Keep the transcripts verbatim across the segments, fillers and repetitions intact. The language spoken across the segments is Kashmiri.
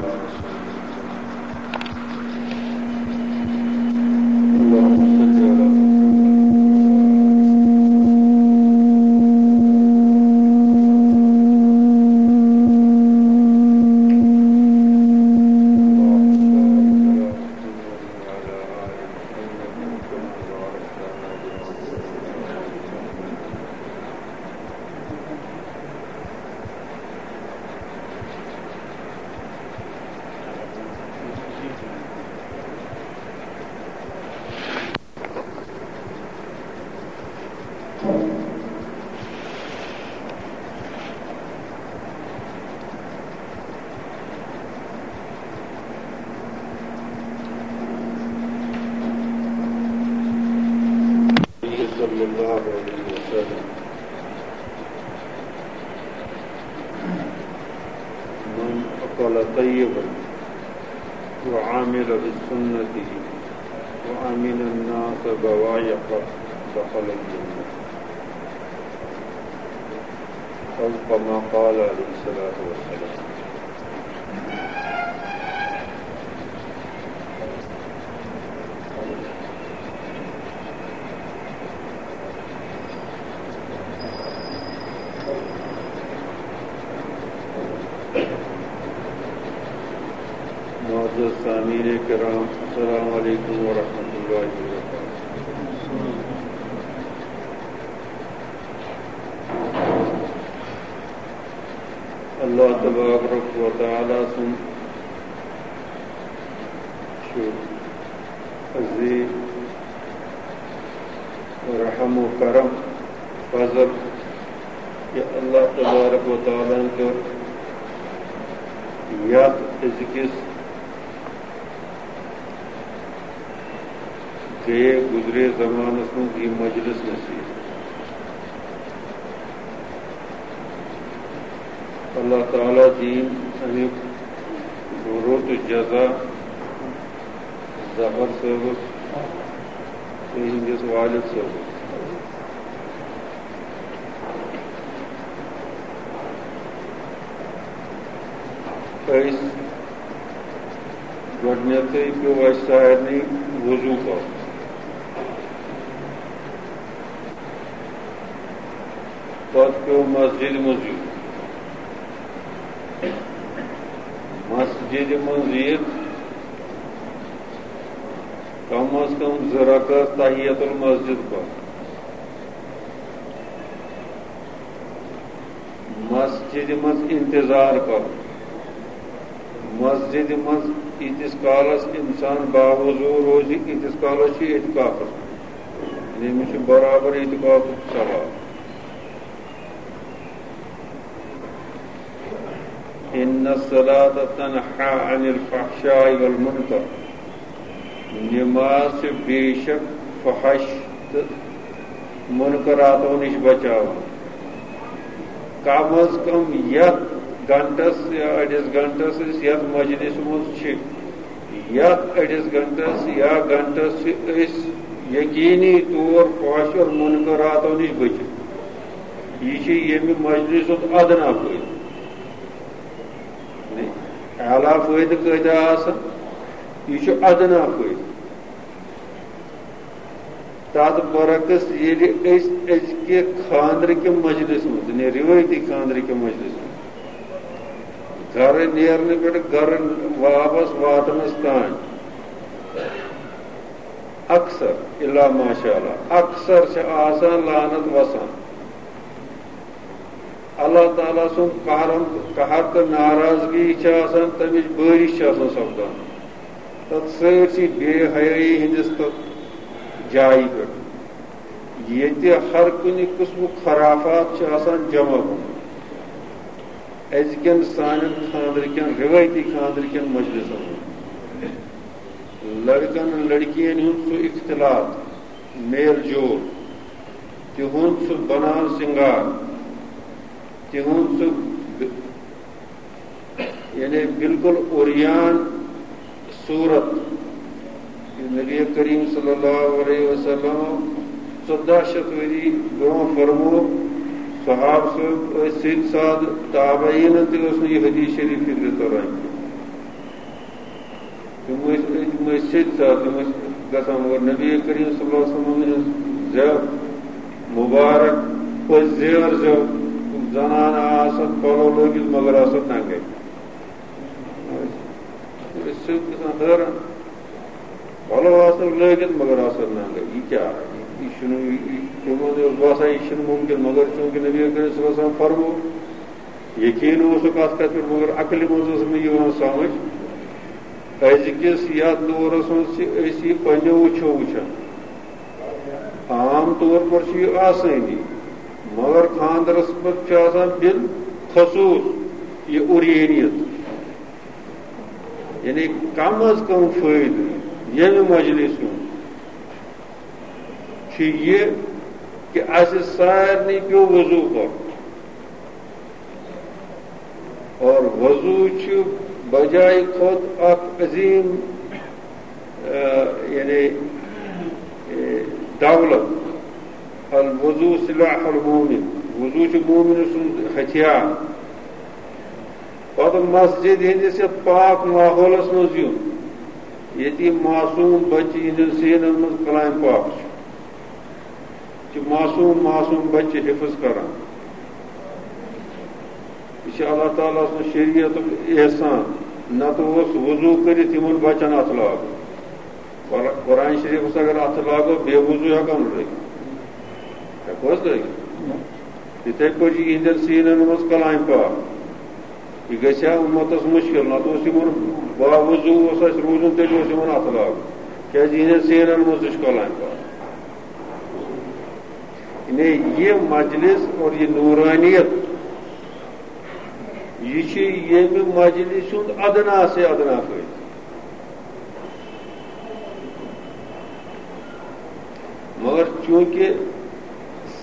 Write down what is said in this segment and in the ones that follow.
اللهم صل على صلى الله عليه وسلم. من أكل طيبا وعمل بسنته وأمن الناس بوائقه دخل الجنة. أو كما قال عليه الصلاة والسلام. معزز سامعین کرام، السلام علیکم ورحمۃ اللہ وبرکاتہ۔ اللہ تبارک و تعالیٰ سُنٛد چھُ عظیم رحم و کرم، فضل، کہ اللہ تبارک و تعالیٰ ہن کٔر یتھ أزکِس گٔیے گُزرے زمانس منٛز یہِ مجلس نصیب۔ اللہ تعالیٰ دِیِن اَمیُک رُت جزا ظفر صٲبس تہٕ یِہنٛدِس والد صٲبس۔ أسۍ گۄڈٕنیتھٕے پیوٚو اَسہِ سارنٕے وضوٗ کرُن۔ پتہٕ پیوٚو مسجدِ منٛز یُن۔ مسجدِ منٛز یِتھ کم از کم زٕ رکعت تحیت المسجد پرُن۔ مسجدِ منٛز انتظار کرُن۔ مسجدِ منٛز ییٖتِس کالس انسان باوضوٗ روزِ، ییٖتِس کالس چھُ اعتکافس منٛز۔ یعنی أمِس چھُ برابر اعتکافُک ثواب۔ ان الصلاة تنہی عن الفحشاء والمنکر۔ نماز چھِ بے شک فحش تہٕ منکراتو نِش بچاوان۔ کم از کم یتھ گھنٹس یا أڑِس گھنٹس أسۍ یتھ مجلس منٛز چھِ، یتھ أڑِس گھنٹس یا گھنٹس چھِ أسۍ یقینی طور فحش اور منکراتو نِش بٔچِتھ۔ یہِ چھِ ییٚمہِ مجلسُک ادنا فٲیدٕ۔ اعلیٰ فٲیدٕ کۭتیٛاہ آسن؟ یہِ چھُ ادنا فٲیدٕ۔ تَتھ برعکس ییٚلہِ أسۍ أزکہِ خانٛدرٕکہِ مجلس منٛز، یعنی رِوٲیتی خانٛدرٕکہِ مجلس منٛز، گرٕ نیرنہٕ پٮ۪ٹھ گرٕ واپس واتنس تام اکثر، الا ماشاء اللہ، اکثر چھِ آسان لعنت وسان۔ اللہ تعالیٰ سُنٛد قہرم، قہر تہٕ ناراضگی چھِ آسان، تَمِچ بٲرِش چھِ آسان سپدان۔ تَتھ سٲرسٕے بے حیٲیی ہٕنٛدِس تہٕ جایہِ پٮ۪ٹھ، ییٚتہِ ہر کُنہِ قٕسمُک خرافات چھُ آسان جمع گوٚمُت۔ أزکٮ۪ن سانٮ۪ن خانٛدرٕکٮ۪ن، رِوٲیتی خانٛدرٕکٮ۪ن مجلسن منٛز لڑکن لڑکین ہُنٛد سُہ اختلاط، میل جول، تِہُنٛد سُہ بناو سِنگار، تِہُنٛد سُہ ب-، یعنی بالکل عریان صورت۔ یہِ نبی کریم صلی اللہ علیہ وسلم ژۄداہ شیٚتھ ؤری برونٛہہ فرمو، صحابہٕ صٲب ٲسۍ سیٚدۍ سادٕ، تابعیٖنن تہِ ٲس نہٕ یہِ حدیث شریف فکرِ تران کینٛہہ۔ تِم ٲسۍ، تِم ٲسۍ سیٚدۍ سادٕ، تِم ٲسۍ گژھان، مگر نبی کریم صلی اللہ علیہ وسلم ہٕنٛز زٮ۪و مُبارک، پٔزۍ زیور زٮ۪و، زنانہٕ آسہٕ پلو لٲگِتھ مگر آسہٕ ننگے۔ أسۍ چھِ گژھان حٲران، پلو آسن لٲگِتھ مگر آسن ننگے، یہِ کیٛاہ؟ یہِ چھُنہٕ، یہِ، یہِ، تِمن اوس باسان یہِ چھُنہٕ مُمکِن، مگر چوٗنٛکہِ نبی کریم صلی اللہ علیہ وسلم فرموو، یقیٖن اوسُکھ اَتھ کَتھِ پٮ۪ٹھ، مگر عقلہِ منٛز ٲس نہٕ یِوان سَمٕجھ۔ أزکِس یَتھ دورَس منٛز چھِ أسۍ یہِ پنٛنیو أچھو وٕچھان۔ عام طور پر چھُ یہِ آسٲنی، مگر خانٛدرَس پٮ۪ٹھ چھُ آسان بالخصوٗص یہِ عریٲنیت، یعنی کم از کم فٲیدٕ ییٚمہِ مجلسہِ ہُنٛد چھُ یہِ کہِ اَسہِ سارنٕے پیوٚو وضوٗ کرُن۔ اور وضوٗ چھُ بجایہِ کھۄتہٕ اکھ عظیٖم، آ، یعنی، اے، دولت۔ الوضوٗ سلاح المومن، وضوٗ چھُ مومن سُنٛد ہتھیار۔ پتہٕ مسجد ہٕنٛدِس یتھ پاک ماحولس منٛز یُن، ییٚتہِ یہِ معصوٗم بچہِ یِہنٛدٮ۪ن سیٖنن منٛز کلام پاک چھُ۔ چھِ معصوٗم، معصوٗم بچہِ حفظ کران۔ یہِ چھِ اللہ تعالیٰ سٕنٛز شریعتُک احسان۔ نتہٕ اوس وضوٗ کٔرِتھ یِمن بچن اتھٕ لاگُن۔ قر-، قرآن شریفس اگر اتھٕ لاگو، بے وضوٗ ہٮ۪کو نہٕ لٲگِتھ۔ ہٮ۪کو حظ لٲگِتھ؟ یِتھے پٲٹھۍ چھِ یِہنٛدٮ۪ن سیٖنن منٛز کلام پاک۔ یہِ گژھِ ہا اُمتس مُشکِل، نتہٕ اوس یِمن باوضوٗ اوس اَسہِ روٗزُن، تیٚلہِ اوس یِمن اَتھٕ لاگُن، کیٛازِ یِہنٛدٮ۪ن سیٖنن منٛز تہِ چھُ کلام پاک۔ یعنی یہِ مجلس اور یہِ نورانیت، یہِ چھِ ییٚمہِ مجلس ہُنٛد ادنا سے ادنا فٲیدٕ۔ مگر چونکہ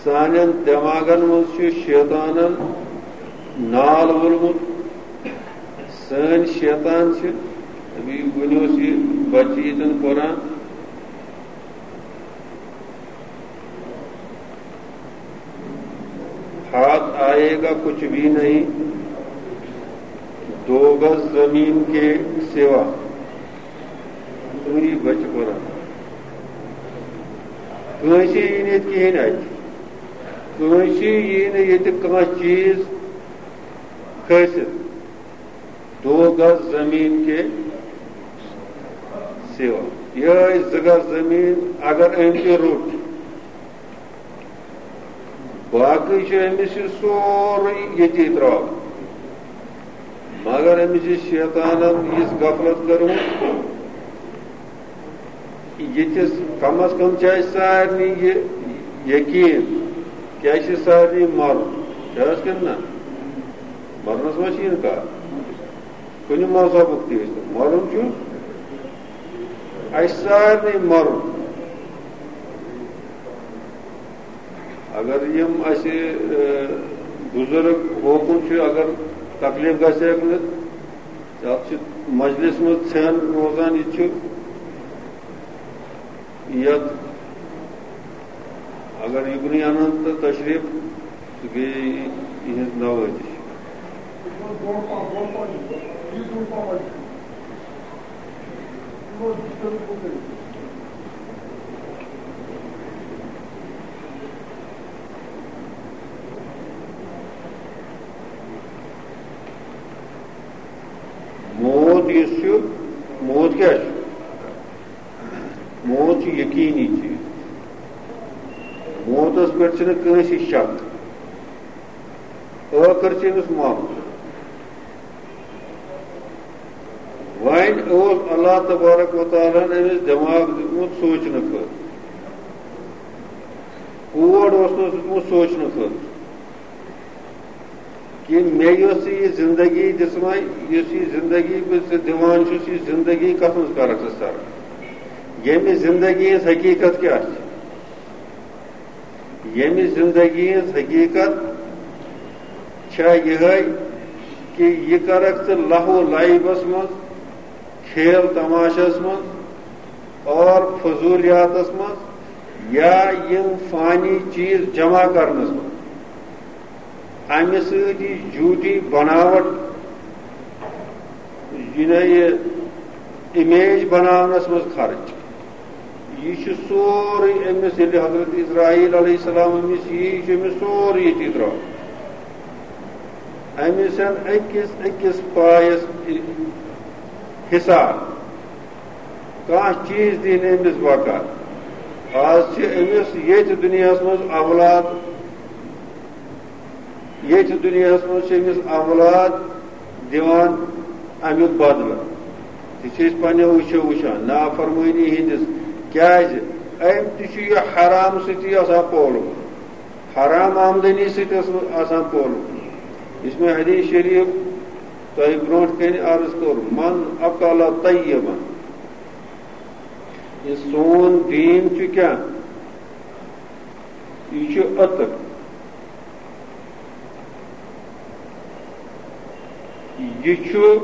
سانٮ۪ن دٮ۪ماغن منٛز چھُ شیطانن نال وولمُت، سٲنۍ شیطان چھِ، ابھی وُنہِ اوس یہِ بچہِ ییٚتٮ۪ن پران، ہاتھ آئے گا کچھ بھی نہیں، دو گز زمین کے سوا۔ تُہی بچہِ پران۔ کٲنٛسہِ یی نہٕ ییٚتہِ کِہیٖنۍ اَتھِ۔ کٲنٛسہِ یی نہٕ ییٚتہِ کانٛہہ چیٖز کھٲسِتھ۔ دو گز زمین کے سوا۔ یِہوٚے زٕ گز زمیٖن اگر أمۍ تہِ روٚٹ، باقٕے چھُ أمِس یہِ سورُے ییٚتی ترٛاوُن۔ مگر أمِس چھِ شیطانن یِژھ غفلت کٔرمٕژ، ییٚتِس کم از کم چھِ اَسہِ سارنٕے یہِ یقیٖن کہِ اَسہِ چھِ سارنٕے مَرُن۔ چھِ حظ کِنہٕ نہ؟ مَرنَس منٛز چھِ اِنکار۔ کُنہِ مذہبُک تہِ ٲسِتن، مَرُن چھُ اَسہِ سارنٕے مَرُن۔ اگر یِم اَسہِ، ٲ، بُزرگ ہوکُن چھِ، اگر تکلیٖف گژھِ ہٮ۪کھ نہٕ، یَتھ چھِ مجلِس منٛز ژھٮ۪ن روزان، یہِ تہِ چھُ یَتھ، اگر یُکنُے اَنَن تہٕ تشریٖف تہٕ بیٚیہِ یِہٕنٛز نوٲزِش۔ موت یُس چھُ، موت کیٛاہ چھُ؟ موت چھُ یقیٖنی چیٖز۔ موتَس پٮ۪ٹھ چھُنہٕ کٲنٛسہِ شک۔ ٲخٕر چھُ أمِس مَرُن۔ وۄنۍ اوس اللہ تبارک و تعالیٰ ہن أمِس دٮ۪ماغ دیُتمُت سونٛچنہٕ خٲطرٕ، کوڑ اوسنَس دیُتمُت سونٛچنہٕ خٲطرٕ کہِ مےٚ یۄس ژےٚ یہِ زندگی دِژمَے، یُس یہِ زندگی بہٕ ژےٚ دِوان چھُس، یہِ زندگی کَتھ منٛز کَرَکھ ژٕ صرف؟ ییٚمہِ زندگی ہٕنٛز حقیٖقت کیٛاہ چھِ؟ ییٚمہِ زندگی ہٕنٛز حقیٖقت چھےٚ یِہوٚے کہِ یہِ کَرَکھ ژٕ لہو لعبَس منٛز، کھیل تماشَس منٛز اور فضولیاتَس منٛز یا یِم فانی چیٖز جمع کَرنَس منٛز۔ اَمہِ سۭتۍ یہِ جھوٗٹی بناوٹ، یہِ نہ یہِ امیج بناونس منٛز خرچ۔ یہِ چھُ سورُے أمِس، ییٚلہِ حضرت اسرائیل علیہ السلام أمِس یی، یہِ چھُ أمِس سورُے ییٚتی درٛاو۔ أمِس چھَنہٕ أکِس أکِس پایَس حساب۔ کانٛہہ چیٖز دی نہٕ أمِس بکار۔ آز چھِ أمِس ییٚتہِ دُنیاہَس منٛز اولاد، ییٚتہِ دُنیاہَس منٛز چھِ أمِس اولاد دِوان اَمیُک بدلہٕ۔ یہِ چھِ أسۍ پنٛنیو أچھو وٕچھان، نافرمٲنی ہِنٛدِس۔ کیٛازِ؟ أمۍ تہِ چھُ یہِ حرام سۭتی آسان پولمُت، حرام آمدنی سۭتۍ ٲس آسان پولمُت۔ یُس مےٚ حدیث شریف تۄہہِ برونٛٹھ کنہِ عرض کوٚر، من اکل طیبا، یہِ سون دیٖن چھُ کیٛاہ؟ یہِ چھُ عطر۔ یہِ چھُ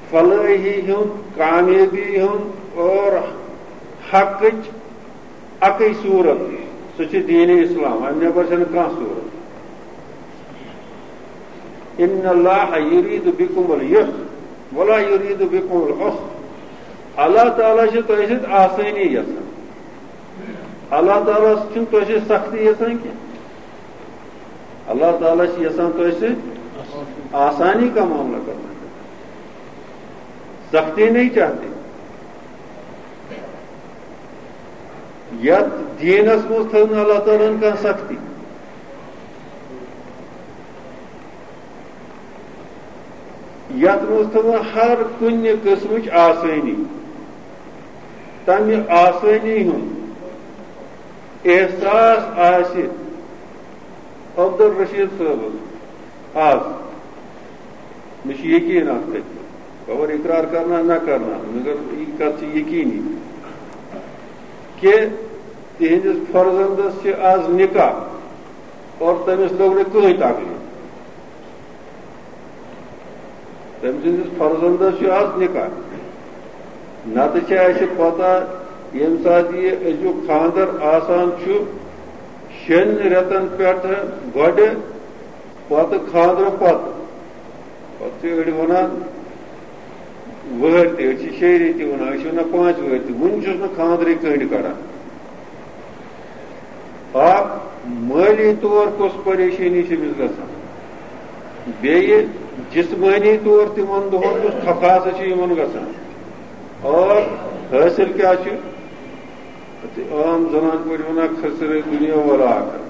فلٲحی ہُنٛد، کامیٲبی ہُنٛد اور حقٕچ اَکٕے صوٗرت، سُہ چھُ دیٖنِ اسلام، اَمہِ نٮ۪بر چھَنہٕ کانٛہہ صوٗرت۔ ان اللہ یرید بکم الیسر ولا یرید بکم العسر۔ اللہ تعالیٰ چھُ تۄہہِ سۭتۍ آسٲنی یژھان۔ اللہ تعالیٰ چھُنہٕ تۄہہِ سۭتۍ سختی یژھان کینٛہہ۔ اللہ تعالیٰ چھُ یژھان تۄہہِ سۭتۍ آسانی کا معاملہ کرنا۔ سختی نہیں چاہتے۔ یتھ دیٖنس منٛز تھٲو نہٕ اللہ تعالیٰ ہن کانٛہہ سختی۔ یتھ منٛز تھٲو ہر کُنہِ قٕسمٕچ آسٲنی۔ تمہِ آسٲنی ہُنٛد احساس آسہِ عبدالرشید صٲبس آز۔ مےٚ چھُ یقیٖن اَتھ پٮ۪ٹھ، خبر اقرار کرنا نہ کرنا، مگر یہِ کَتھ چھِ یقیٖنی کہِ تِہنٛدِس فرزندس چھِ آز نکاح اور تٔمِس لوٚگ نہٕ کٕہٕنۍ تکلیٖف۔ تٔمۍ سٕنٛدِس فرزندس چھُ آز نکاح۔ نتہٕ چھِ اَسہِ پتہ، ییٚمہِ ساتہٕ یہِ أزیُک خانٛدر آسان چھُ، شیٚن رٮ۪تن پٮ۪ٹھ گۄڈٕ، پتہٕ خانٛدرٕ پتہٕ۔ پتہٕ چھِ أڑۍ ونان وٕہٕرۍ تہِ، أڑۍ چھِ شیٚیہِ ریٚتۍ تہِ ونان، أسۍ چھِ ونان پانٛژِ وٕہٕرۍ تہِ۔ وُنہِ چھُس نہٕ خانٛدرٕے کٔنٛڈۍ کڑان۔ اکھ مٲلی طور کۄس پریشٲنی چھِ أمِس گژھان، بیٚیہِ جسمٲنی طور تِمن دۄہن کُس تھکاژ چھِ یِمن گژھان، اور حٲصِل کیٛاہ چھُ؟ عام زنان پٲٹھۍ ونان، خسر دنیا ولا آخرت۔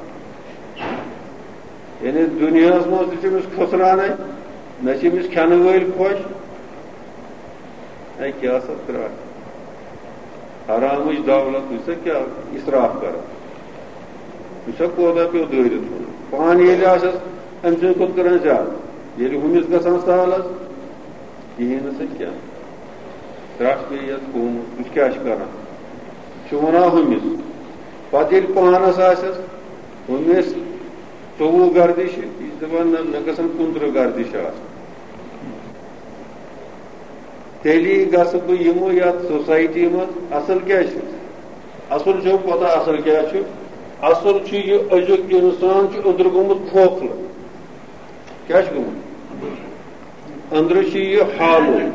یعنی دُنیاہَس منٛز تہِ چھِ أمِس خسرانٕے، نہ چھِ أمِس کھٮ۪نہٕ وٲلۍ خۄش۔ اے کیٛاہ سا ترٛٹھ، حرامٕچ دولت، وٕچھ سا کیٛاہ اِسراف کران، وٕچھ سا کوتاہ پیوٚو دٲرِتھ ژھٕنُن۔ پانہٕ ییٚلہِ آسٮ۪س، أمۍ سٕنٛدِ کھۄتہٕ کران زیادٕ، ییٚلہِ ہُمِس گژھان سہل حظ، کِہیٖنۍ نہٕ سا کیٛاہ۔ ترٛٹھ پیٚیہِ یَتھ قومَس، وٕچھ کیٛاہ چھِ کران، چھُ وَنان ہُمِس۔ پَتہٕ ییٚلہِ پانَس آسٮ۪س، ہُمِس ژوٚوُہ گردِش، یہِ چھِ دَپان، نہ، مےٚ گژھن کُنترٕہ گردِش آسٕنۍ۔ تیٚلی گژھٕ بہٕ یِمہٕ یَتھ سوسایٹی منٛز۔ اَصٕل کیٛاہ چھُ؟ اَصٕل چھُ پَتہ، اَصٕل کیٛاہ چھُ؟ اَصٕل چھُ یہِ أزیُک اِنسان چھُ أنٛدرٕ گوٚمُت کھوکھلہٕ۔ کیٛاہ چھُ گوٚمُت؟ أنٛدرٕ چھُ یہِ hollow،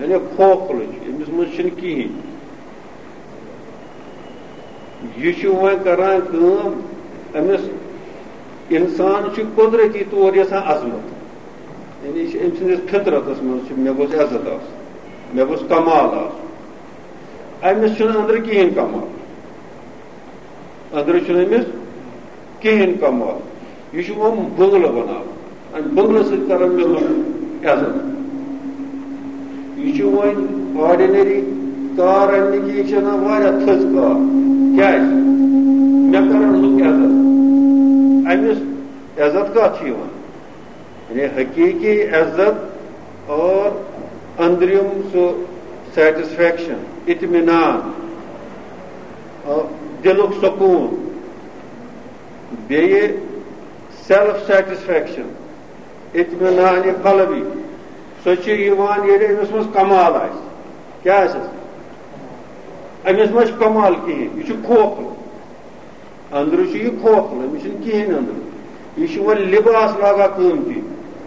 یعنی کھوکھلہٕ چھُ، أمِس منٛز چھُنہٕ کِہیٖنۍ۔ یہِ چھُ وۄنۍ کران کٲم، أمِس اِنسان چھُ قۄدرٔتی طور یَژھان عظمت، یعنی یہِ چھُ أمۍ سٕنٛدِس فطرتَس منٛز چھُ، مےٚ گوٚژھ عزت آسُن، مےٚ گوٚژھ کمال آسُن۔ أمِس چھُنہٕ أنٛدرٕ کِہیٖنۍ کمال۔ أنٛدرٕ چھُنہٕ أمِس کِہیٖنۍ کمال۔ یہِ چھُ یِم بُنٛگلہٕ بَناوان۔ اَمہِ بُنٛگلہٕ سۭتۍ کَرَن مےٚ لُکھ عزت۔ یہِ چھُ وۄنۍ ordinary car اَننہٕ کہِ یہِ چھِ اَنان واریاہ تھٔز car۔ کیٛازِ؟ مےٚ کَرَن لُکھ عزت۔ أمِس عزت کَتھ چھُ یِوان؟ یعنی حقیقی عزت اور أنٛدرِم سُہ satisfaction، اطمینان، اور دِلُک سکوٗن، بیٚیہِ self satisfaction، اطمینان قلبی، سۄ چھِ یِوان ییٚلہِ أمِس منٛز کمال آسہِ۔ کیٛاہ آسٮ۪س؟ أمِس منٛز چھُ کمال کِہیٖنۍ، یہِ چھُ کھوکھلہٕ۔ أنٛدرٕ چھُ یہِ کھوکھلہٕ، أمِس چھُنہٕ کِہیٖنۍ أنٛدرٕ۔ یہِ چھُ وۄنۍ لباس لاگان قۭمتی۔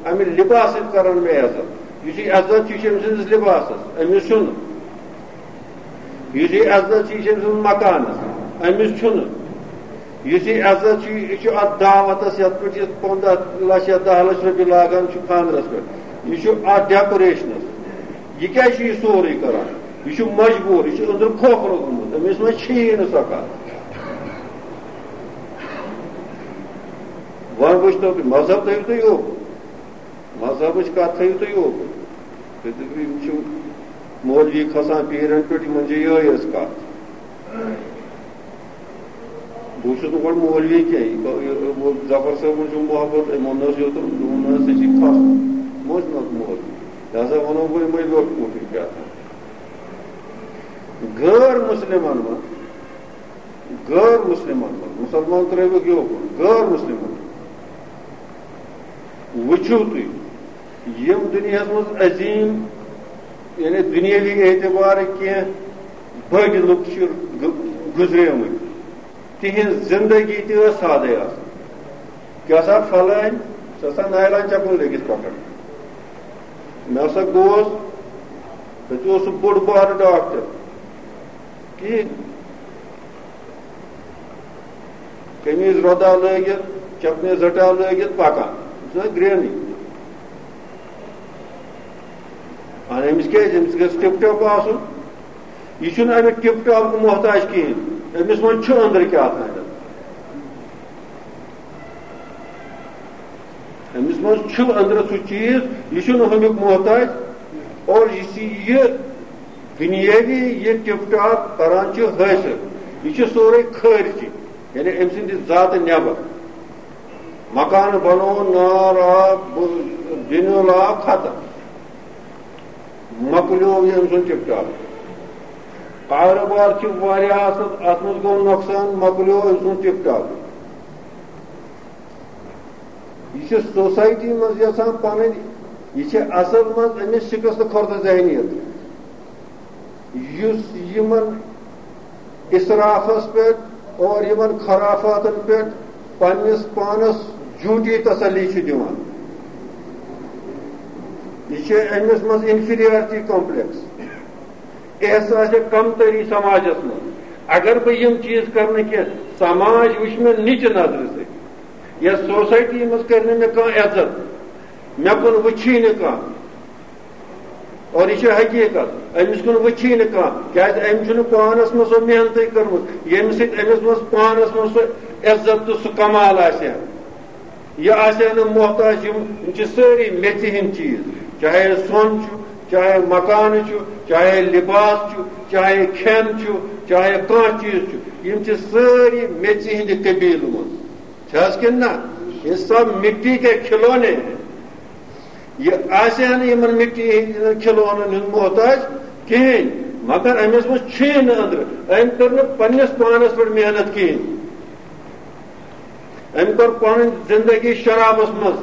اَمہِ لِباسہٕ سۭتۍ کران مےٚ عزت۔ یُس یہِ عزت چھُ، یہِ چھُ أمۍ سٕنٛدِس لِباسَس، أمِس چھُنہٕ۔ یُس یہِ عزت چھُ، یہِ چھُ أمۍ سٕنٛدِس مکانَس، أمِس چھُنہٕ۔ یُس یہِ عزت چھُ، یہِ چھُ اَتھ دعوتَس، یَتھ پٮ۪ٹھ یہِ پنٛداہ لَچھ یا دَہ لَچھ رۄپیہِ لاگان چھُ خانٛدرَس پٮ۪ٹھ، یہِ چھُ اَتھ ڈیکوریشنَس۔ یہِ کیٛازِ چھُ یہِ سورُے کران؟ یہِ چھُ مجبوٗر، یہِ چھُ أنٛدرٕ کھوکھرو گوٚمُت، أمِس منٛز چھِیی نہٕ سۄ کَتھ۔ وۄنۍ وٕچھتو تُہۍ، مذہب تھٲیِو تُہۍ یوکُن، مذہبٕچ کَتھ تھٲیِو تُہۍ یوکُن۔ تُہۍ دٔپِو، یِم چھِ مولوی کھسان پیٖرَن پٮ۪ٹھ، یِمَن چھِ یِہوٚے یٲژ کَتھ۔ بہٕ چھُس نہٕ گۄڈٕ مولوی کینٛہہ، یہِ گوٚو، یہِ، یہِ، ظفر صٲبُن چھُم محبت، أمۍ ووٚن نہٕ حظ یوتُن، دوٚپُن نہٕ حظ، ژےٚ چھی کھَس، بہٕ اوسُس نہٕ مولوی۔ لہذا وَنو بہٕ یِمَے لۄکٕٹۍ مۄکٕٹۍ کیٛاہ تام۔ غٲر مُسلِمَن منٛز، غٲر مُسلِمَن منٛز، مُسلمان ترٛٲوِکھ یوکُن، غٲر مُسلِمَن وٕچھِو تُہۍ، یِم دُنیاہَس منٛز عظیٖم، یعنی دُنیٲوی اعتبارٕ کینٛہہ بٔڑۍ لُکھ چھِ گ-، گُزریمٕتۍ، تِہِنٛز زِندگی تہِ ٲس سادَے آسان۔ کیٛاہ سا پھلٲنۍ، سۄ سا نایلان چپل لٔگِتھ پکان۔ مےٚ ہسا گوس، تَتہِ اوس سُہ بوٚڑ بارٕ ڈاکٹر۔ کِہیٖنۍ۔ قمیٖض رۄدا لٲگِتھ، چپنہِ زَٹا لٲگِتھ پَکان۔ سُہ ٲس گرٛینٕے۔ اَہَن، أمِس کیٛازِ؟ أمِس گژھِ ٹِپ ٹاپ آسُن۔ یہِ چھُنہٕ اَمہِ ٹِپ ٹاپُک محتاج کِہیٖنۍ۔ أمِس منٛز چھُ أنٛدرٕ کیٛاہ تام۔ أمِس منٛز چھُ أنٛدرٕ سُہ چیٖز، یہِ چھُنہٕ ہُمیُک محتاج۔ اور یُس یہِ دُنیٲوی یہِ ٹِپ ٹاپ کران چھُ حٲصِل، یہِ چھُ سورُے خٲرجی، یعنی أمۍ سٕنٛدِ ذاتہٕ نٮ۪بر۔ مکان بنوو، نار آو، بُ-، دِنُل آو، ختم۔ مۄکلیو یہِ أمۍ سُنٛد ٹِپ ٹاپ۔ کارٕبار چھِ واریاہ اَصٕل، اَتھ منٛز گوٚو نۄقصان، مۄکلیو أمۍ سُنٛد ٹِپ ٹاپ۔ یہِ چھِ سوسایٹی منٛز یَژھان پَنٕنۍ، یہِ چھِ اَصٕل منٛز أمِس شِکست خوردٕ ذہنیت، یُس یِمَن اِسرافَس پٮ۪ٹھ اور یِمَن خرافاتَن پٮ۪ٹھ پنٛنِس پانَس جھوٗٹی تسلی چھُ دِوان۔ یہِ چھِ أمِس منٛز inferiority complex، احساسِ کمتری سماجَس منٛز۔ اگر بہٕ یِم چیٖز کَرٕ نہٕ کینٛہہ، سماج وٕچھِ مےٚ نِچہِ نظرِ سۭتۍ۔ یَتھ سوسایٹی منٛز کَرِ نہٕ مےٚ کانٛہہ عزت، مےٚ کُن وٕچھی نہٕ کانٛہہ۔ اور یہِ چھِ حقیٖقت، أمِس کُن وٕچھی نہٕ کانٛہہ، کیٛازِ أمۍ چھُنہٕ پانَس منٛز سۄ محنتٕے کٔرمٕژ، ییٚمہِ سۭتۍ أمِس منٛز پانَس منٛز سُہ عزت تہٕ سُہ کمال آسہِ ہا۔ یہِ آسہِ ہا نہٕ محتاج، یِم، یِم چھِ سٲری میٚژِ ہِنٛدۍ چیٖز، چاہے سۄن چھُ، چاہے مکانہٕ چھُ، چاہے لباس چھُ، چاہے کھٮ۪ن چھُ، چاہے کانٛہہ چیٖز چھُ، یِم چھِ سٲری میٚژِ ہِنٛدِ قبیٖلہٕ منٛز۔ چھِ حظ کِنہٕ نہ؟ یہ سب مٹی کے کھلونے ہیں۔ یہِ آسہِ ہا نہٕ یِمن مٹی ہٕنٛدٮ۪ن کھلونن ہُنٛد محتاج کِہیٖنۍ، مگر أمِس منٛز چھُے نہٕ أنٛدرٕ۔ أمۍ کٔر نہٕ پننِس پانس پٮ۪ٹھ محنت کِہیٖنۍ۔ أمۍ کٔر پنٕنۍ زندگی شرابس منٛز،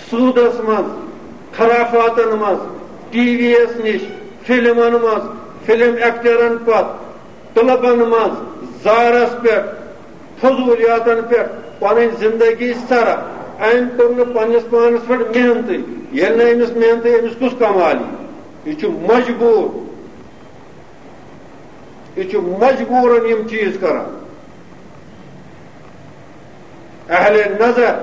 سوٗدس منٛز، خرافاتن منٛز، ٹی وی یس نِش، فلمن منٛز، فلم ایکٹرن پتہٕ، کلبن منٛز، زارس پٮ۪ٹھ، فضولیاتن پٮ۪ٹھ پنٕنۍ زندگی صرف۔ أمۍ کوٚر نہٕ پننِس پانس پٮ۪ٹھ محنتٕے۔ ییٚلہِ نہٕ أمِس محنتٕے، أمِس کُس کمال یی؟ یہِ چھُ مجبوٗر، یہِ چھُ مجبوٗرن یِم چیٖز کران۔ اہل نظر،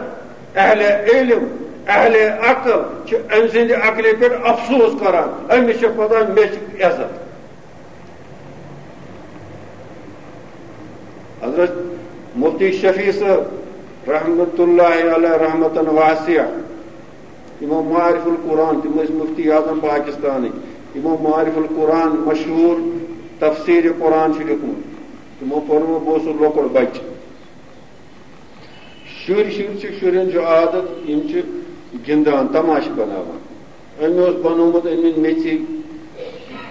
اہل علم، اہل عقل چھِ أمۍ سٕنٛدِ عقلہِ پٮ۪ٹھ افسوس کران۔ أمِس چھِ پتہ مےٚ چھِ عزت۔ حضرت مفتی شفیع صٲب رحمت اللہ علیہ رحمتن واسعہ، یِمو معارف القرآن، تِم ٲسۍ مفتی اعظم پاکستانٕکۍ، یِمو معارف القرآن مشہوٗر تفسیر قرآن چھُ لیوٗکھمُت۔ تِمو پوٚرمُت، بہٕ اوسُس لۄکُٹ بچہٕ۔ شُرۍ، شُرۍ چھِ، شُرٮ۪ن چھُ عادت، یِم چھِ گِنٛدان، تماشہٕ بناوان۔ أمۍ اوس بنوومُت أمۍ میٚژِ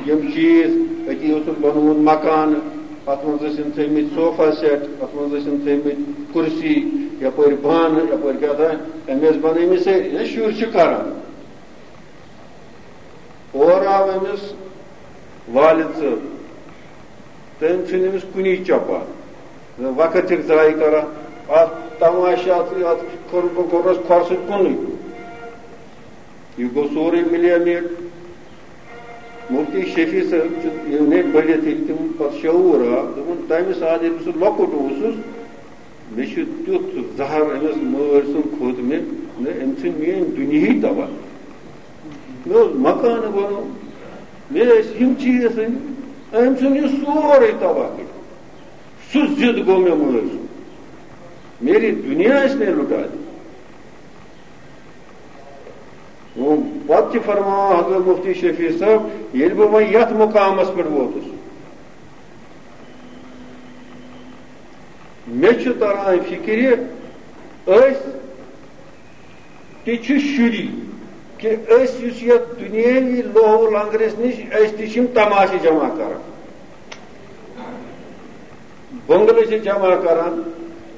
یِم چیٖز، أتی اوسُن بنوومُت مکانہٕ، اَتھ منٛز ٲسِن تھٲومٕتۍ صوفا سیٹ، اَتھ منٛز ٲسِن تھٲومٕتۍ کُرسی، یپٲرۍ بانہٕ، یپٲرۍ کیٛاہ تام، أمۍ ٲسۍ بنٲومٕتۍ سٲری۔ یہِ شُرۍ چھِ کران۔ اورٕ آو أمِس والد صٲب، تٔمۍ ژھٕنۍ أمِس کُنی چۄپان۔ وقت چھِکھ ضایع کران۔ اَتھ تماشہِ، اَتھ، اَتھ کوٚر، کوٚرنَس کھۄر سۭتۍ کُنُے۔ یہِ گوٚو سورُے مِلیو مےٚ۔ مُفتی شفیع صٲب چھُ ییٚلہِ مےٚ پٔرِتھ ییٚلہِ تِم پَتہٕ شعوٗر آو، دوٚپُن، تَمہِ ساتہٕ ییٚلہِ بہٕ سُہ لۄکُٹ اوسُس، مےٚ چھُ تیُتھ زہر أمِس مٲلۍ سُنٛد کھوٚت مےٚ، نہ، أمۍ ژھٕنۍ میٛٲنۍ دُنیاہٕے تباہ۔ مےٚ اوس مکانہٕ بَنومُت، مےٚ ٲسۍ یِم چیٖز أنۍ، أمۍ ژھُن یہِ سورُے تباہ کٔرِتھ۔ سُہ ضد گوٚو مےٚ مٲلۍ سُنٛد، میری دنیا اس نے لٹا دی۔ وۄنۍ پتہٕ تہِ فرماوان حضرت مفتی شفیع صٲب، ییٚلہِ بہٕ وۄنۍ یتھ مقامس پٮ۪ٹھ ووتُس، مےٚ چھُ تران فکرِ، أسۍ تہِ چھِ شُری، کہِ أسۍ یُس یتھ دُنیٲوی لوہو لنگرس نِش، أسۍ تہِ چھِ یِم تماشہٕ جمع کران۔ بنگلہٕ چھِ جمع کران،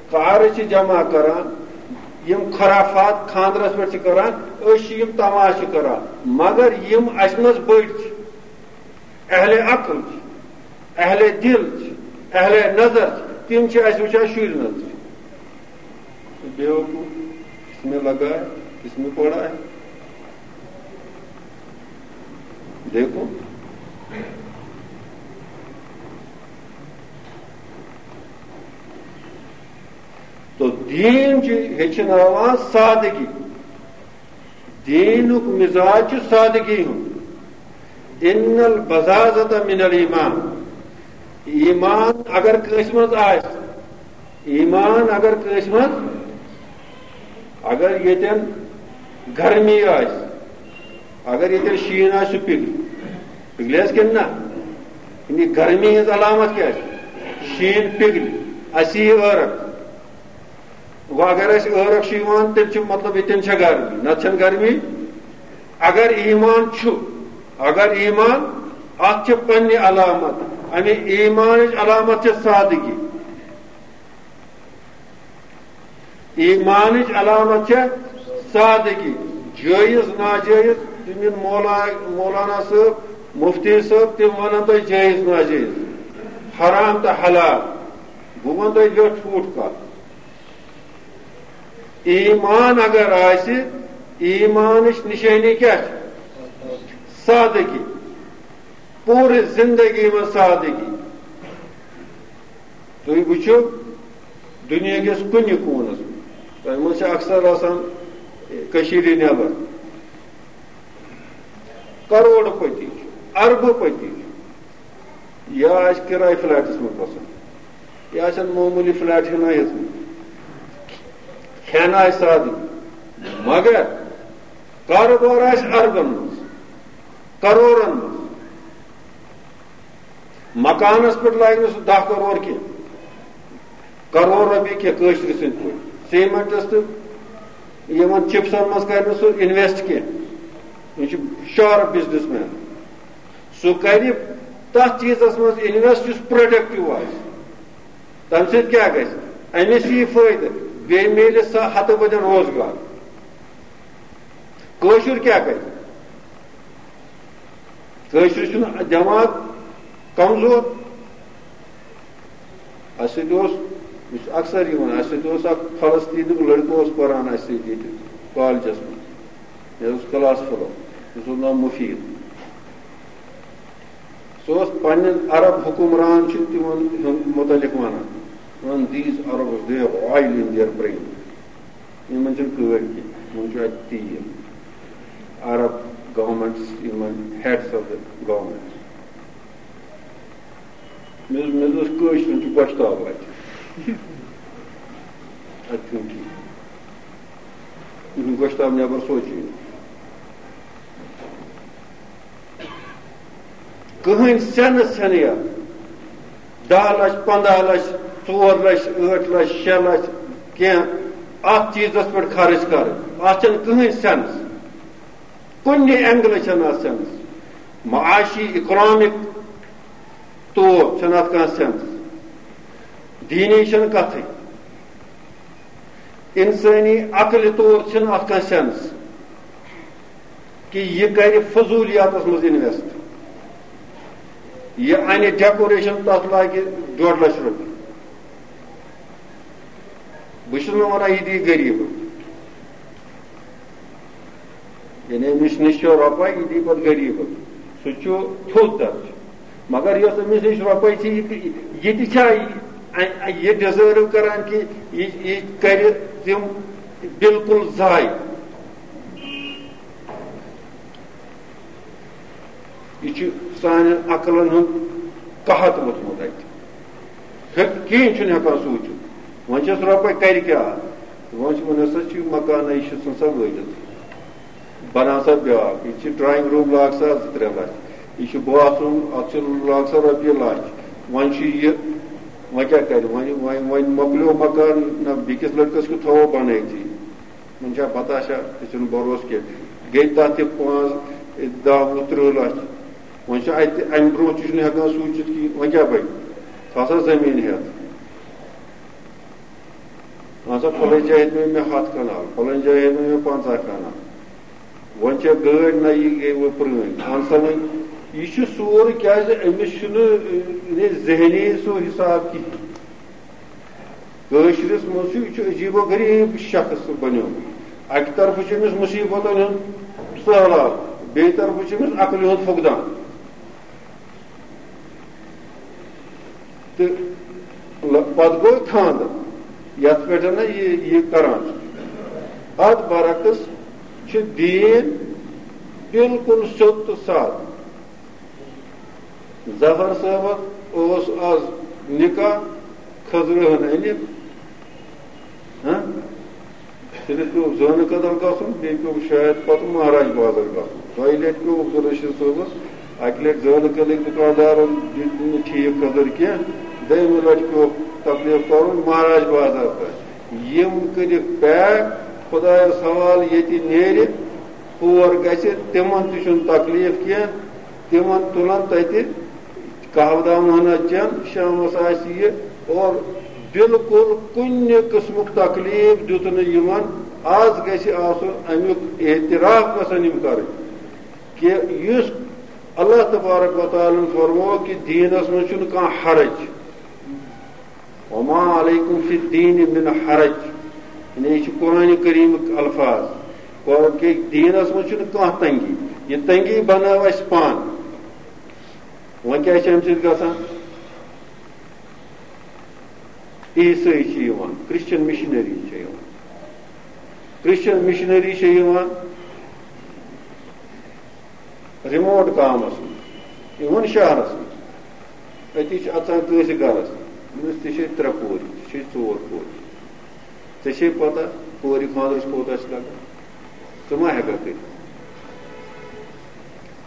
کارٕ چھِ جمع کران، یِم خرافات خانٛدرس پٮ۪ٹھ چھِ کران، أسۍ چھِ یِم تماشہٕ کران، مگر یِم اَسہِ منٛز بٔڑۍ چھِ، اہل عقل چھِ، اہل دل چھِ، اہل نظر چھِ، تِم چھِ اَسہِ وٕچھان شُرۍ نظرِ۔ بیوقوف، اس میں لگا ہے، اس میں پڑا ہے۔ دیکھو، تو دین چھُ ہیٚچھناوان سادگی۔ دینُک مزاج چھُ سادگی ہُنٛد۔ ان البذاذۃ من الایمان۔ ایمان اگر کٲنٛسہِ منٛز آسہِ، ایمان اگر کٲنٛسہِ منٛز، اگر ییٚتٮ۪ن گرمی آسہِ، اگر ییٚتٮ۪ن شیٖن آسہِ، سُہ پِگلہِ۔ پِگلہِ حظ کِنہٕ نہ؟ یعنی گرمی ہٕنٛز علامت کیٛاہ چھِ؟ شیٖن پِگلہِ، اَسہِ یی عٲرق۔ وۄنۍ اگر اَسہِ عٲرق چھُ یِوان، تیٚلہِ چھُ مطلب ییٚتٮ۪ن چھےٚ گرمی، نَتہٕ چھَنہٕ گرمی۔ اگر ایمان چھُ، اگر ایمان، اَتھ چھِ پننہِ علامت۔ اَمہِ ایمانٕچ علامت چھِ سادگی۔ ایمانٕچ علامت چھےٚ سادگی۔ جٲیز ناجٲیز، تِم یِن مولا-، مولانا صٲب، مفتی صٲب، تِم وَنَن تۄہہِ جٲیز ناجٲیز، حرام تہٕ حلال۔ بہٕ وَنہٕ تۄہہِ ویوٚٹھ ویوٚٹھ کَتھ۔ ایمان اگر آسہِ، ایمانٕچ نِشٲنی کیٛاہ چھِ؟ سادگی۔ پوٗرٕ زِندگی منٛز سادگی۔ تُہۍ وٕچھِو، دُنیا کِس کُنہِ کوٗنس منٛز، تۄہہِ منٛز چھِ اکثر آسان کٔشیٖرِ نٮ۪بر، کروڑ پتی چھُ، اربہٕ پتی چھُ، یا آسہِ کِراے فلیٹس منٛز بسان، یا آسن معموٗلی فلیٹ ہنا ہیٚژمٕتۍ، کھٮ۪ن آسہِ سادٕ، مگر کاروبار آسہِ اربن منٛز، کروڑن منٛز۔ مکانس پٮ۪ٹھ لاگہِ نہٕ سُہ دَہ کرور کینٛہہ، کرور رۄپیہِ کینٛہہ کٲشرِ سٕنٛدۍ پٲٹھۍ۔ سیمنٹس تہٕ یِمن چپسن منٛز کرِ نہٕ سُہ انویسٹ کینٛہہ۔ یہِ چھُ شارپ بزنس مین۔ سُہ کرِ تتھ چیٖزس منٛز انویسٹ یُس پروڈکٹیو آسہِ۔ تمہِ سۭتۍ کیٛاہ گژھِ؟ أمِس یی فٲیدٕ، بیٚیہِ میلہِ سا ہتہٕ بٔدٮ۪ن روزگار۔ کٲشُر کیٛاہ کرِ؟ کٲشرِس چھُنہٕ دٮ۪ماغ کمزور۔ اَسہِ سۭتۍ اوس، یہِ چھُ اکثر یِوان، اَسہِ سۭتۍ اوس اکھ فلسطیٖنُک لٔڑکہٕ اوس پران اَسہِ سۭتۍ ییٚتہِ کالجس منٛز۔ مےٚ اوس کلاس فیلو، تٔمِس اوس ناو مفیٖد۔ سُہ اوس پننٮ۪ن عرب حکمران چھِ تِمن ہُنٛد متعلق ونان، ونان، "These Arabs, they have oil in their brain." یِمن چھِنہٕ کٲڑۍ کینٛہہ، یِمن چھُ اَتہِ تیٖل۔ عرب governments، یِمن heads of the governments۔ مےٚ اوس، مےٚ اوس کٲشرٮ۪ن چھُ گۄشتاب اَتہِ۔ اَتہِ چھُنہٕ ٹھیٖک۔ یِہُنٛد گۄشتاب نٮ۪بر سوچی نہٕ۔ کٕہٕنۍ سٮ۪نٕس چھَنہٕ یَتھ۔ دَہ لَچھ، پنٛداہ لَچھ، ژور لَچھ، ٲٹھ لَچھ، شےٚ لَچھ، کینٛہہ اَتھ چیٖزَس پٮ۪ٹھ خرٕچ کَرٕنۍ۔ اَتھ چھَنہٕ کٕہٕنۍ سٮ۪نٕس۔ کُنہِ اینگلہٕ چھَنہٕ اَتھ سٮ۪نٕس۔ معاشی، اِکنامِک طور چھَنہٕ اَتھ کانٛہہ سٮ۪نٕس۔ دیٖنی چھَنہٕ کَتھٕے۔ اِنسٲنی عقلہِ طور چھِنہٕ اَتھ کانٛہہ سٮ۪نٕس کہِ یہِ کَرِ فضوٗلیاتَس منٛز اِنویسٹ۔ یہِ اَنہِ ڈیکوریشن، تَتھ لاگہِ ڈۄڈ لَچھ رۄپیہِ۔ بہٕ چھُس نہٕ وَنان یہِ دِیہِ غریٖبَن۔ یعنی أمِس نِش چھِ رۄپَے، یہِ دی پَتہٕ غریٖبَس۔ سُہ چھُ تھوٚد درجہٕ۔ مگر یۄس أمِس نِش رۄپَے چھِ، یہِ تہِ، یہِ تہِ چھا یہِ، یہِ ڈِزٲرٕو کران کہِ یہِ، یہِ کرِ تِم بالکل ضایع؟ یہِ چھُ سانٮ۪ن عقلن ہُنٛد قحط ووٚتھمُت اَتہِ۔ ہیٚک-، کِہیٖنۍ چھُنہٕ ہٮ۪کان سوٗنٛچِتھ۔ وۄنۍ چھَس رۄپَے، کَرِ کیٛاہ؟ وۄنۍ چھِ، وۄنۍ ہسا چھِ مکانہ، یہِ چھِ ژھٕن سا وٲتِتھ۔ بَناو سا بیٛاکھ۔ یہِ چھِ drawing room، لاگ سا زٕ ترٛےٚ لَچھ۔ یہِ چھُ bathroom، اَتھ چھِ، لاگ سا رۄپیہِ لَچھ۔ وۄنۍ چھُ یہِ، وۄنۍ کیٛاہ کَرِ؟ وۄنۍ، وۄنۍ، وۄنۍ مۄکلیو مکان، نہ بیٚکِس لٔڑکَس کیُتھ تھاوو بَنٲیتھٕے۔ وۄنۍ چھا پتہ چھا، تہِ چھُنہٕ بھروسہٕ کینٛہہ۔ گٔے تَتھ تہِ پانٛژھ، دَہ، وُہ، تٕرٛہ لَچھ۔ وۄنۍ چھُ اَتہِ اَمہِ برٛونٛہہ تہِ چھُنہٕ ہٮ۪کان سوٗنٛچِتھ کِہیٖنۍ، وۄنۍ کیٛاہ بَنہِ؟ سُہ ہسا زٔمیٖن ہٮ۪تھ۔ اَہَن سا، فلٲنۍ جایہِ ہیٚتۍ مےٚ ہَتھ کَنال، فلٲنۍ جایہِ ہیٚتۍ مےٚ پنٛژاہ کَنال۔ وۄنۍ چھےٚ گٲڑۍ نہ، یہِ گٔے وۄنۍ پرٛٲنۍ۔ اَہَن سا، وۄنۍ یہِ چھُ سورُے، کیٛازِ أمِس چھُنہٕ، یعنی، ذہنی سُہ حِساب کِہیٖنۍ۔ کٲشرِس منٛز چھُ، یہِ چھُ عجیٖب و غریٖب شخص بنیومُت۔ اَکہِ طرفہٕ چھُ أمِس مُصیٖبتَن ہُنٛد سہلاب، بیٚیہِ طرفہٕ چھُ أمِس عقلہِ ہُنٛد فقدان۔ تہٕ لَ-، پَتہٕ گوٚو خانٛدر، یَتھ پٮ۪ٹھ نہ یہِ، یہِ کران چھُ۔ اَتھ برعکس چھُ دیٖن بالکل سیوٚد تہٕ سادٕ۔ ظفر صٲبَس اوس آز نکاح، خٔزرٕ ہن أنِتھ۔ ہاں؟ صرف پیوٚو زٲنہٕ کدل گژھُن، بیٚیہِ پیوٚو شاید پتہٕ مہراج بازر گژھُن۔ دۄیہِ لٹہِ پیوٚو عبدالرشید صٲبَس، اَکہِ لٹہِ زٲنہٕ کدلٕکۍ دُکاندارَن دیُت نہٕ ٹھیٖک خٔزٕر کینٛہہ، دوٚیمہِ لٹہِ پیوٚو تکلیف کرُن مہراج بازر تام۔ یِم کٔرِکھ pack، خۄدایَس حوالہٕ، ییٚتہِ نیرِ، ہور گژھِ، تِمن تہِ چھُنہٕ تکلیف کینٛہہ، تِمن تُلن تتہِ قہوٕ دامہٕ ہنا چٮ۪ن، شامس آسہِ یہِ، اور بالکل کُنہِ قٕسمُک تکلیف دیُت نہٕ یِمن۔ از گژھِ آسُن امیُک اعتراف گژھن یِم کرٕنۍ کہِ یُس اللہ تبارک و تعالیٰ ہن فرموو کہِ دیٖنس منٛز چھُنہٕ کانٛہہ حرج۔ وما علیکم فی الدین من حرج، یعنی یہِ چھُ قرآن کریمٕکۍ الفاظ، گوٚو کہِ دیٖنَس منٛز چھُنہٕ کانٛہہ تنگی، یہِ تنگی بنٲو اَسہِ پانہٕ۔ وۄنۍ کیٛاہ چھِ اَمہِ سۭتۍ گژھان؟ عیسٲے چھِ یِوان، کرسچن مشنری چھِ یِوان، کرسچن مشنری چھِ یِوان، ریموٹ گامس منٛز، یِمن شہرس منٛز، أتی چھِ اژان کٲنٛسہِ گرس، أمِس تہِ چھِ ترٛےٚ کورِ، ژےٚ چھے ژور کورِ، ژےٚ چھے پتہ کورِ خانٛدرس کوٗتاہ چھِ لگان، ژٕ ما ہٮ۪ککھ کٔرِتھ؟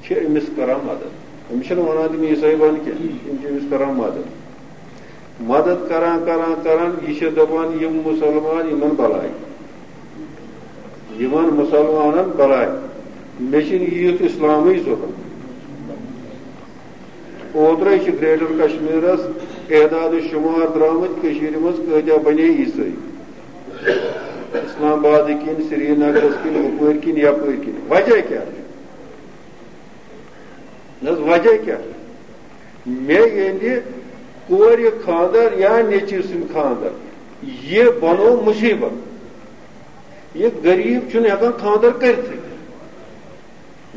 چھِ أمِس کران مدد۔ أمِس چھِنہٕ وَنان تِم عیٖسٲے بَن کینٛہہ، یِم چھِ أمِس کران مدد۔ مدد کران، کران، کران، یہِ چھِ دَپان، یِم مُسلمان، یِمن بَلاے۔ یِمن مُسلمانن بَلاے۔ مےٚ چھِنہٕ یہِ یُتھ اِسلامٕے ضروٗرت۔ اوترَے چھِ گریٹر کشمیٖرَس اعداد و شُمار درٛامٕتۍ، کٔشیٖرِ منٛز کۭتیٛاہ بَنے عیٖسٲے۔ اسلام آبادٕکۍ کِنۍ، سرینگرَس کِنۍ، ہُپٲرۍ کِنۍ، یَپٲرۍ کِنۍ۔ وجہ کیٛاہ چھُ؟ نہ حظ، وجہ کیٛاہ چھُ؟ مےٚ ییٚلہِ کورِ خانٛدر یا نیٚچوِ سُنٛد خانٛدر، یہِ بنوو مُصیٖبت۔ یہِ غریٖب چھُنہٕ ہٮ۪کان خانٛدر کٔرِتھٕے۔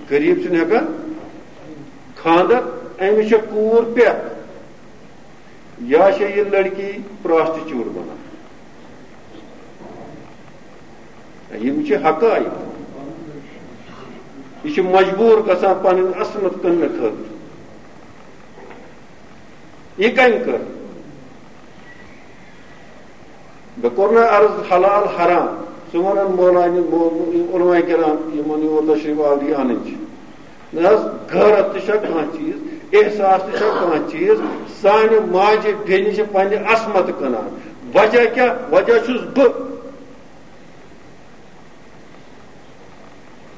غریٖب چھُنہٕ ہٮ۪کان خانٛدر، أمِس چھےٚ کوٗر پٮ۪تھ۔ یا چھےٚ یہِ لڑکی پراسٹیچوٹ بنان۔ یِم چھِ حقائق۔ یہِ چھِ مجبوٗر گژھان پنٕنۍ عصمت کٕننہٕ خٲطرٕ۔ یہِ کٔمۍ کٔر؟ مےٚ کوٚر نہ عرض حلال حرام۔ ژٕ وَنان مولانی، مو-، علماء کرام یِمن یور تشریف آوری اَنٕنۍ چھِ۔ نہ حظ، غیرت تہِ چھا کانٛہہ چیٖز، احساس تہِ چھا کانٛہہ چیٖز؟ سانہِ ماجہِ بیٚنہِ چھِ پننہِ عصمت کٕنان۔ وجہ کیٛاہ؟ وجہ چھُس بہٕ۔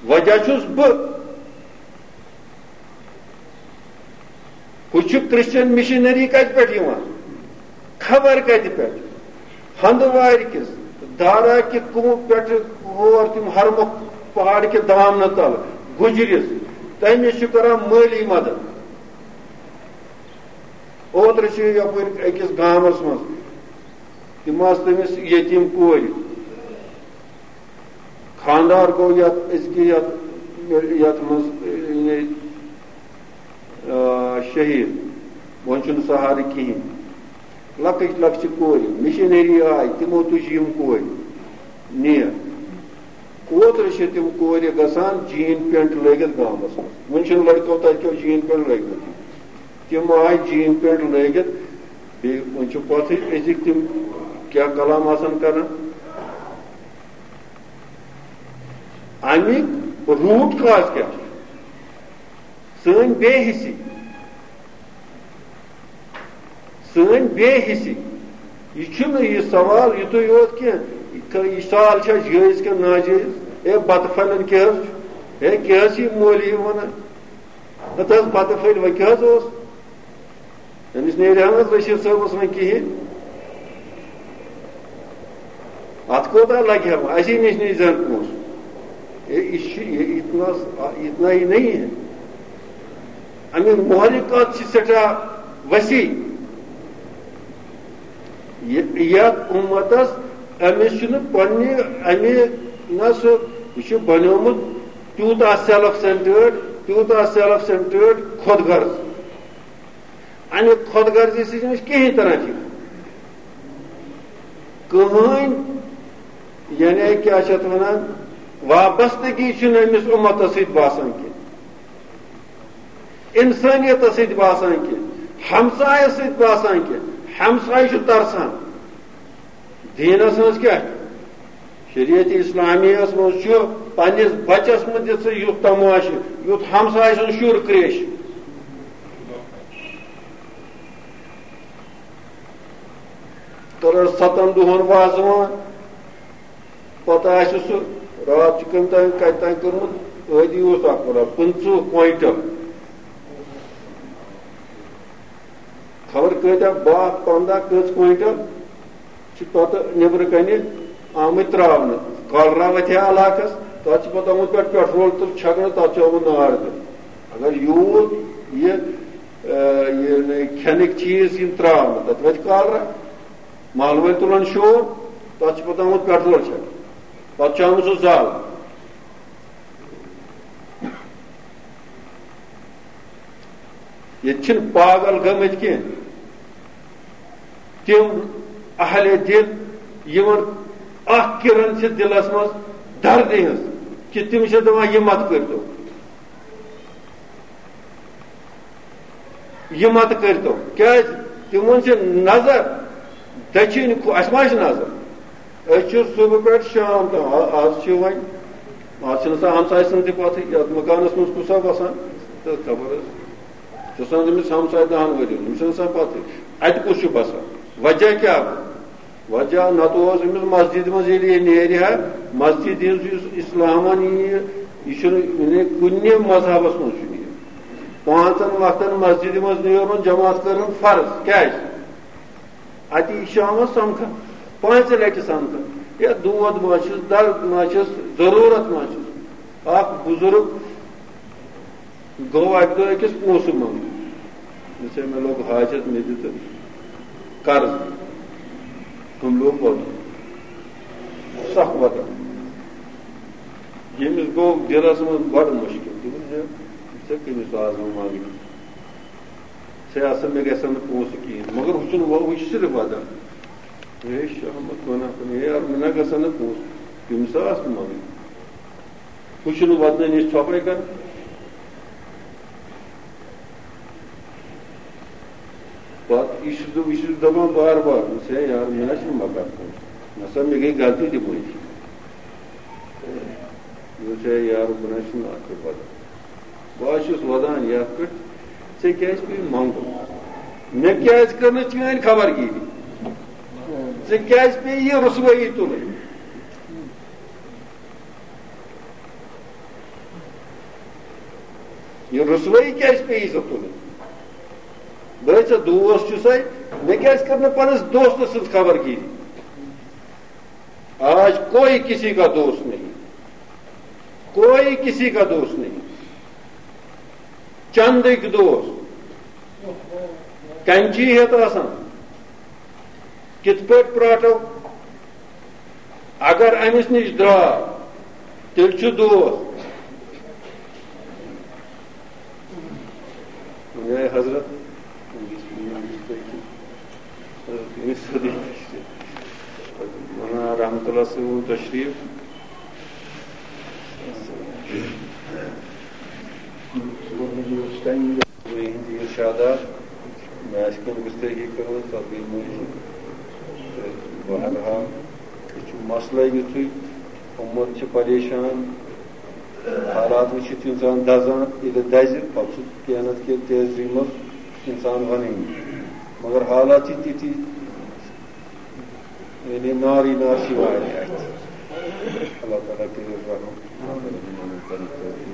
وجہ چھُس بہٕ۔ ہُہ چھُ کرسچن مشنری کتہِ پٮ۪ٹھ یِوان؟ خبر کتہِ پٮ۪ٹھ؟ ہندوارِ کِس دارا کہِ کُمہٕ پٮ۪ٹھٕ ہور تِم ہرمُکھ پہاڑ کہِ دامنہٕ تل گُجرِس، تٔمِس چھُ کران مٲلی مدد۔ اوترٕ چھِ یپٲرۍ أکِس گامس منٛز، تِم آسہٕ تٔمِس یتیٖم کورِ۔ خانٛدار گوٚو یتھ أزکہِ یتھ یَتھ منٛز، یعنی، آ، شہیٖد، وۄنۍ چھُنہٕ سہارٕ کِہیٖنۍ۔ لۄکٕٹۍ لۄکچہِ کورِ، مِشنٔری آیہِ، تِمو تُجہِ یِم کورِ نیر۔ اوترٕ چھِ تِم کورِ گژھان جین پینٹ لٲگِتھ گامَس منٛز۔ وۄنۍ چھِنہٕ لٔڑکو تَتہِ کیو جین پینٹ لٲگمٕتٕے۔ تِم آیہِ جین پینٹ لٲگِتھ، بیٚیہِ وۄنۍ چھُ پَتہٕ أزِکۍ تِم کیٛاہ کلام آسان کران۔ اَمیُک روٗٹ کاز کیٛاہ چھُ؟ سٲنۍ بے حسی، سٲنۍ بے حسی۔ یہِ چھُنہٕ یہِ سوال یِتُے یوت کینٛہہ، یہِ سوال چھا جٲیِز کِنہٕ ناجٲیِز؟ ہے، بَتہٕ پھٔلٮ۪ن کیٛاہ حظ چھُ؟ ہے، کیٛاہ حظ چھِ یہِ مولوی وَنان؟ نہ تہٕ حظ، بَتہٕ پھٔلۍ وۄنۍ کیٛاہ حظ اوس؟ أمِس نیرِ ہا نہٕ حظ رشیٖد صٲبَس وۄنۍ کِہیٖنۍ۔ اَتھ کوٗتاہ لَگہِ ہا وۄنۍ؟ اَسی نِش نِش زَن پونٛسہٕ۔ اے، یہِ چھُ، یہِ اتنا، اتنا ہی نہیں ہے۔ اَمیُک محرک کَتھ چھِ سٮ۪ٹھاہ وسیع۔ یہِ، یَتھ اُمتَس، أمِس چھُنہٕ پنٛنہِ، اَمہِ، نہ سُہ، یہِ چھُ بنیومُت تیوٗتاہ سیلف سینٹٲرڈ، تیوٗتاہ سیلف سینٹٲرڈ، خود غرض۔ اَمہِ خۄد غرضی سۭتۍ چھِنہٕ أسۍ کِہیٖنۍ تران فِکرِ۔ کٕہٕنۍ، یعنی کیٛاہ چھِ اَتھ وَنان، وابستگی چھِنہٕ أمِس اُمتَس سۭتۍ باسان کینٛہہ، اِنسٲنیتَس سۭتۍ باسان کینٛہہ، ہمسایَس سۭتۍ باسان کینٛہہ۔ ہمسایہِ چھُ ترسان۔ دیٖنَس منٛز کیٛاہ چھُ؟ شریعت اسلامیَس منٛز چھُ پنٛنِس بَچَس منٛز دِژ ژٕ یُتھ تماشہٕ، یُتھ ہمسایہِ سُنٛد شُر کرٛیش۔ کٔرٕس سَتَن دۄہَن وازوان، پَتہٕ آسہِ سُہ راتھ چھُ کٔمۍ تام کَتہِ تام کوٚرمُت، ٲدی اوس اَکھ وَنان پٕنٛژٕہ کویِنٹَل، خبر کۭتیٛاہ، باہ پنٛداہ کٔژ کویِنٹَل۔ چھِ پَتہٕ نیٚبرٕ کَنہِ آمٕتۍ ترٛاونہٕ۔ کالرا وَتھِ ہا علاقَس، تَتھ چھِ پَتہٕ آمُت پٮ۪ٹھ پیٹرول تہٕ چھَکنہٕ، تَتھ چھُ آمُت نار دیُن۔ اگر یوٗت یہِ، آ، یہِ کھٮ۪نٕکۍ چیٖز یِم ترٛاونہٕ، تَتہِ وَتھِ کالرا۔ مَحلہٕ وٲلۍ تُلَن شور، تَتھ چھِ پَتہٕ آمُت پیٹرول چھَکنہٕ۔ پَتہٕ چھُ آمُت سُہ زال۔ ییٚتہِ چھِنہٕ پاگل گٔمٕتۍ کینٛہہ۔ تِم اہلِ دِل، یِمن اکھ کِرن چھِ دِلس منٛز دردِ ہٕنٛز، کہِ تِم چھِ دَپان، "یہِ مت کٔرۍتو، یہِ مت کٔرۍتو۔" کیٛازِ؟ تِمن چھِ نظر دٔچھِنۍ کھو-، اَسہِ ما چھِ نظر؟ أسۍ چھِ صُبحہٕ پٮ۪ٹھ شام تام، آ-، آز چھِ وۄنۍ، آز چھِنہٕ آسان ہمسایہِ سٕنٛز تہِ پَتھٕے، یَتھ مکانَس منٛز کُس آو بَسان، تہٕ خبر ٲس۔ چھُ آسان أمِس ہمسایہِ دَہَن ؤرِیَن، أمِس چھِنہٕ آسان پَتھٕے۔ اَتہِ کُس چھُ بَسان؟ وجہ کیٛاہ گوٚو؟ وجہ نَتہٕ اوس أمِس مسجدِ منٛز ییٚلہِ یہِ نیرِ ہا، مسجدِ ہٕنٛز یُس اِسلامَن یہِ، یہِ چھُنہٕ، یعنی کُنہِ مذہبَس منٛز چھُنہٕ یہِ۔ پانٛژَن وقتَن مسجدِ منٛز نیرُن، جماعت کَرُن فرض۔ کیٛازِ؟ اَتہِ یہِ شامَس سَمکھان، پانٛژِ لَٹہِ سَمکھان۔ یا دود ما چھُس، درد ما چھُس، ضروٗرت ما چھُس؟ اَکھ بُزرٕگ گوٚو اَکہِ دۄہ أکِس پونٛسہٕ منٛگنہِ۔ دوٚپُس، "ہے، مےٚ لوٚگ حاجت، مےٚ دِ تہٕ قرض۔" ہُم لوٚگ وَدُن، سَکھ وَدُن۔ ییٚمِس گوٚو دِلَس منٛز بَڑٕ مُشکِل، دوٚپُن، "ہے، ژےٚ کٔمِس آز وۄنۍ منٛگنہِ؟ ژےٚ آسہٕ، مےٚ گژھن نہٕ پونٛسہٕ کِہیٖنۍ۔" مگر ہُہ چھُنہٕ وَ-، ہُہ چھُ صرف وَدان۔ ہے شامَس وَنان، ہے یارٕ، مےٚ نہ گژھن نہٕ پونٛسہٕ، تٔمِس آسہٕ نہٕ منٛگنہِ۔ ہُہ چھُنہٕ وَدنہٕ نِش ژھۄپَے کَران۔ پَتہٕ یہِ چھُس بہٕ، یہِ چھُس بہٕ دَپان بار بار، دوٚپُس، "ہے یارٕ، مےٚ نہ چھُنہٕ مَکان کُن۔ نہ سا، مےٚ گٔے غلطی تہِ مٔنٛزۍ۔" دوٚپُس، "ہے یارٕ، بہٕ نہ چھُس نہٕ اَتھ پٮ۪ٹھ وَدان۔ بہٕ حظ چھُس وَدان یَتھ پٮ۪ٹھ، ژےٚ کیٛازِ پیٚیہِ منٛگُن؟ مےٚ کیٛازِ کٔر نہٕ چٲنۍ خبر گیٖری؟ ژےٚ کیٛازِ پیٚیہِ یہِ رُسوٲیی تُلٕنۍ؟" یہِ رُسوٲیی کیٛازِ پیٚیہِ ژےٚ تُلٕنۍ؟ بہٕ ہے ژےٚ دوس چھُسَے، مےٚ کیٛازِ کٔر نہٕ پنٛنِس دوستہٕ سٕنٛز خبر گیٖری؟ آج کوئی کسی کا دوست نہیں، کوئی کسی کا دوست نہیں۔ چندٕکۍ دوس، کینچی ہیٚتھ آسان، کِتھ پٲٹھۍ پرٛاٹھو؟ اگر أمِس نِش درٛاو، تیٚلہِ چھُ دوس۔ میانہِ حضرت، مولانا رحمت اللہ صٲب تشریف۔ یِہٕنٛدۍ ارشادات مےٚ آسہِ کُنہِ گُستٲخی کٔرمٕژ، تَتھ گٔے معٲفی۔ تہٕ بہرحال، یہِ چھُ مسلہٕ یُتھُے، اُمت چھِ پریشان، حالات وٕچھِتھ چھُ اِنسان دَزان، ییٚلہِ دَزِ، پَتہٕ چھُ کینٛہہ نَتہٕ کینٛہہ تیزی منٛز اِنسان وَنٲنی۔ مگر حالات چھِ تِتھی، یعنی نارٕے نار چھِ واریاہ اَتہِ۔ اللہ تعالیٰ کٔرِو رحم۔